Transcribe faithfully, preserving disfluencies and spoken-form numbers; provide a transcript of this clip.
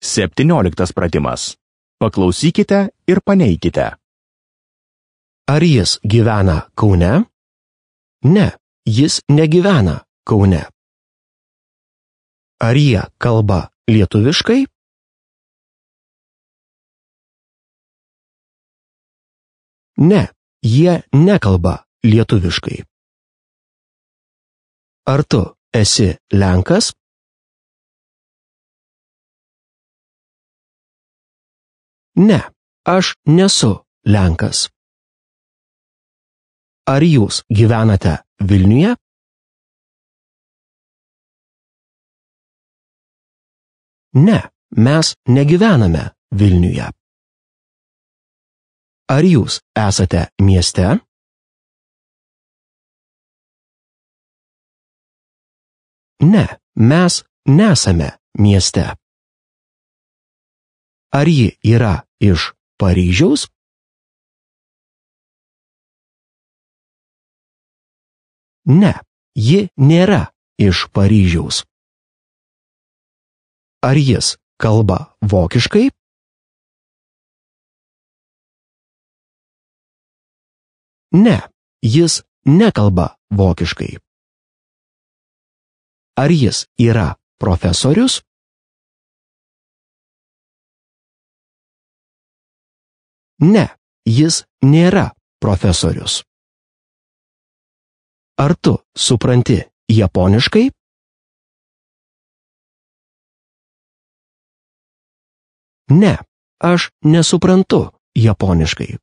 Septynioliktas pratimas. Paklausykite ir paneikite. Ar jis gyvena Kaune? Ne, jis negyvena Kaune. Ar jie kalba lietuviškai? Ne, jie nekalba lietuviškai. Ar tu esi Lenkas? Ne, aš nesu Lenkas. Ar jūs gyvenate Vilniuje? Ne, mes negyvename Vilniuje. Ar jūs esate mieste? Ne, mes nesame mieste. Ar ji yra iš Paryžiaus? Ne, ji nėra iš Paryžiaus. Ar jis kalba vokiškai? Ne, jis nekalba vokiškai. Ar jis yra profesorius? Ne, jis nėra profesorius. Ar tu supranti japoniškai? Ne, aš nesuprantu japoniškai.